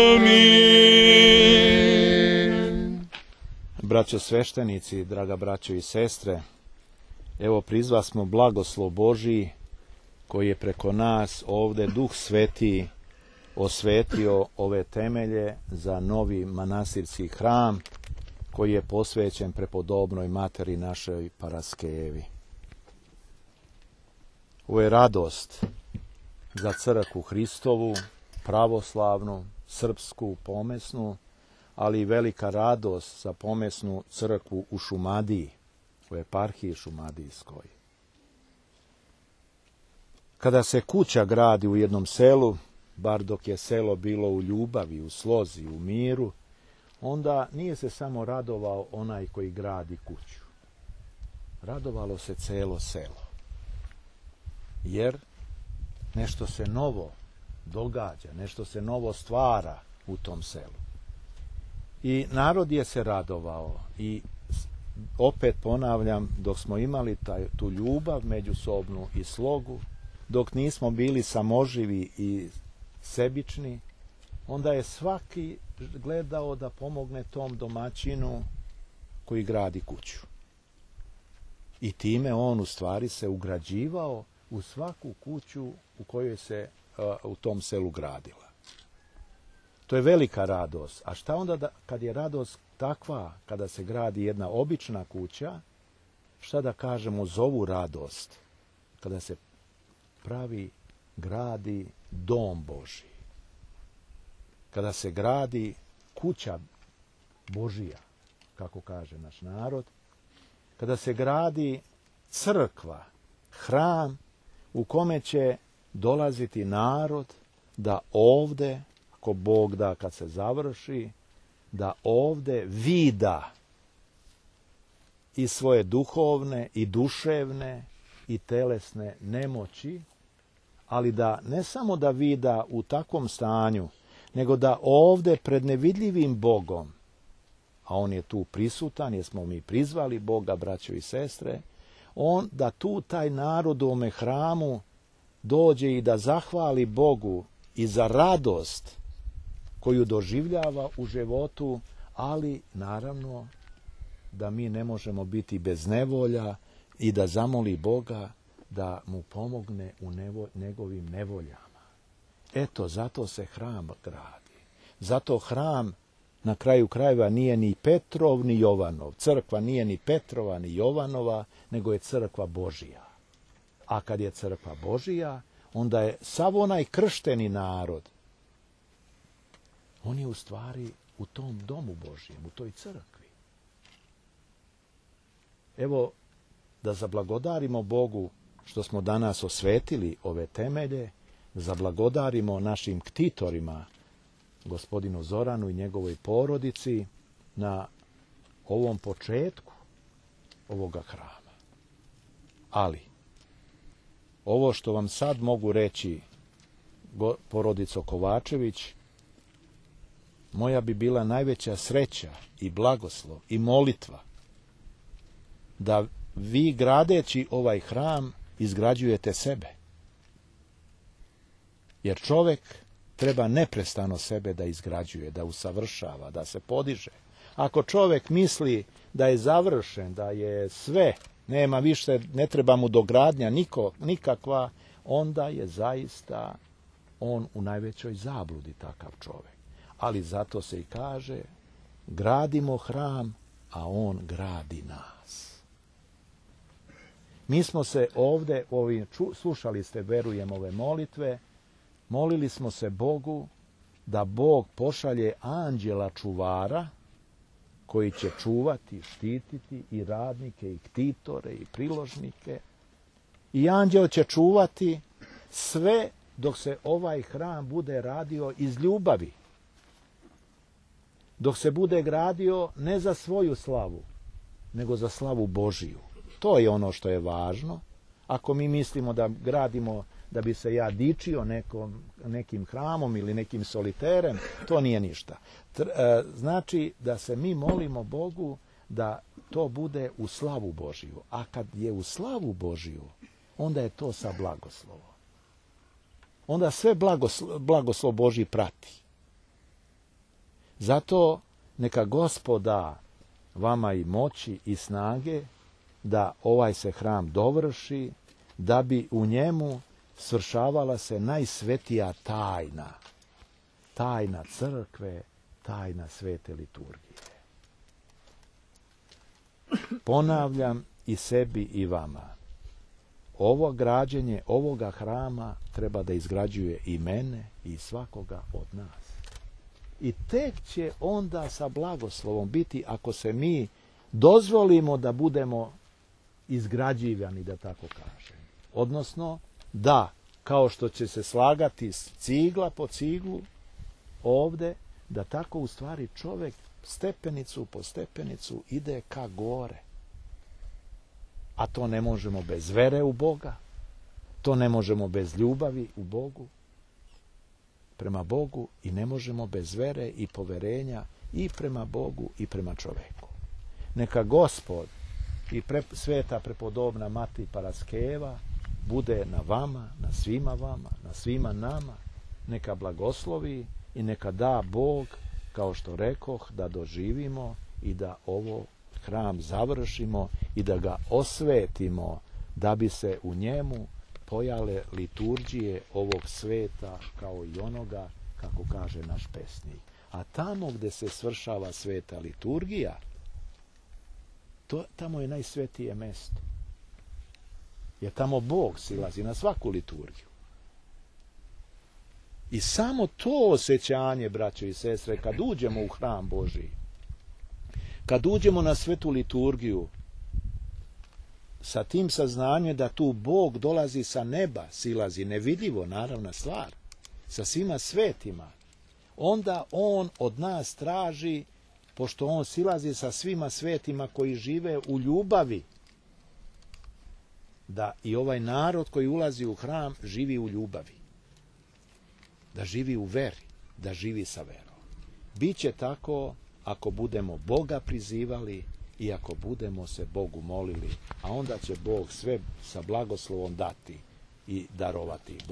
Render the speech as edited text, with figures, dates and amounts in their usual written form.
Amin. Braćo sveštenici, draga braćo i sestre, evo prizva smo blagoslov Božiji koji je preko nas ovde Duh Sveti osvetio ove temelje za novi manastirski hram koji je posvećen prepodobnoj materi našoj Paraskevi. Ovo je radost za crkvu Hristovu, pravoslavnu, srpsku, pomesnu, ali i velika radost za pomesnu crkvu u Šumadiji, u eparhiji Šumadijskoj. Kada se kuća gradi u jednom selu, bar dok je selo bilo u ljubavi, u slozi, u miru, onda nije se samo radovao onaj koji gradi kuću. Radovalo se celo selo. Jer nešto se novo događa, nešto se novo stvara u tom selu. I narod je se radovao i opet ponavljam, dok smo imali tu ljubav međusobnu i slogu, dok nismo bili samoživi i sebični, onda je svaki gledao da pomogne tom domaćinu koji gradi kuću. I time on u stvari se ugrađivao u svaku kuću u kojoj se u tom selu gradila. To je velika radost. A šta onda kad je radost takva, kada se gradi jedna obična kuća, šta da kažemo za ovu radost, kada se gradi dom Božji, kada se gradi kuća Božija, kako kaže naš narod, kada se gradi crkva, hram u kome će dolaziti narod da ovde, ako Bog da kad se završi, da ovde vida i svoje duhovne i duševne i telesne nemoći, ali da ne samo da vida u takvom stanju, nego da ovde pred nevidljivim Bogom, a on je tu prisutan, jer smo mi prizvali Boga, braćo i sestre, da tu taj narod u ome hramu dođe i da zahvali Bogu i za radost koju doživljava u životu, ali naravno da mi ne možemo biti bez nevolja i da zamoli Boga da mu pomogne u njegovim nevoljama. Eto, zato se hram gradi. Zato hram na kraju krajeva nije ni Petrov ni Jovanov. Crkva nije ni Petrova ni Jovanova, nego je crkva Božija. A kad je crkva Božija, onda je sav onaj kršteni narod, on je u stvari u tom domu Božijem, u toj crkvi. Evo, da zablagodarimo Bogu što smo danas osvetili ove temelje, zablagodarimo našim ktitorima, gospodinu Zoranu i njegovoj porodici, na ovom početku ovoga hrama. Ali, ovo što vam sad mogu reći, porodico Kovačević, moja bi bila najveća sreća i blagoslov i molitva da vi gradeći ovaj hram izgrađujete sebe. Jer čovek treba neprestano sebe da izgrađuje, da usavršava, da se podiže. Ako čovek misli da je završen, da je sve, nema više, ne treba mu dogradnja nikakva, onda je zaista on u najvećoj zabludi, takav čovek. Ali zato se i kaže, gradimo hram, a on gradi nas. Mi smo se ovde, slušali ste, verujem, ove molitve, molili smo se Bogu da Bog pošalje anđela čuvara koji će čuvati, štititi i radnike, i ktitore, i priložnike. I anđel će čuvati sve dok se ovaj hram bude radio iz ljubavi. Dok se bude gradio ne za svoju slavu, nego za slavu Božiju. To je ono što je važno. Ako mi mislimo da gradimo da bi se ja dičio nekim hramom ili nekim soliterem, to nije ništa. Znači da se mi molimo Bogu da to bude u slavu Božiju. A kad je u slavu Božiju, onda je to sa blagoslovom. onda sve blagoslov Božji prati. Zato neka Gospod da vama i moći i snage da ovaj se hram dovrši, da bi u njemu svršavala se najsvetija tajna. Tajna crkve, tajna svete liturgije. Ponavljam i sebi i vama. Ovo građenje ovoga hrama treba da izgrađuje i mene i svakoga od nas. I tek će onda sa blagoslovom biti ako se mi dozvolimo da budemo izgrađivani, da tako kažem. Odnosno, da, kao što će se slagati cigla po ciglu ovde, da tako u stvari čovjek stepenicu po stepenicu ide ka gore. A to ne možemo bez vere u Boga, to ne možemo bez ljubavi u Bogu, prema Bogu, i ne možemo bez vere i poverenja i prema Bogu i prema čoveku. Neka Gospod i sveta prepodobna Mati Paraskeva bude na vama, na svima vama, na svima nama, neka blagoslovi i neka da Bog, kao što rekoh, da doživimo i da ovo hram završimo i da ga osvetimo, da bi se u njemu pojale liturgije ovog sveta kao i onoga, kako kaže naš pesnik. A tamo gdje se svršava sveta liturgija, tamo je najsvetije mesto. Jer tamo Bog silazi na svaku liturgiju. I samo to osjećanje, braćo i sestre, kad uđemo u hram Božji, kad uđemo na svetu liturgiju, sa tim saznanjem da tu Bog dolazi sa neba, silazi nevidljivo, naravna stvar, sa svima svetima, onda On od nas traži, pošto On silazi sa svima svetima koji žive u ljubavi, da i ovaj narod koji ulazi u hram živi u ljubavi, da živi u veri, da živi sa verom. Biće tako ako budemo Boga prizivali i ako budemo se Bogu molili, a onda će Bog sve sa blagoslovom dati i darovati.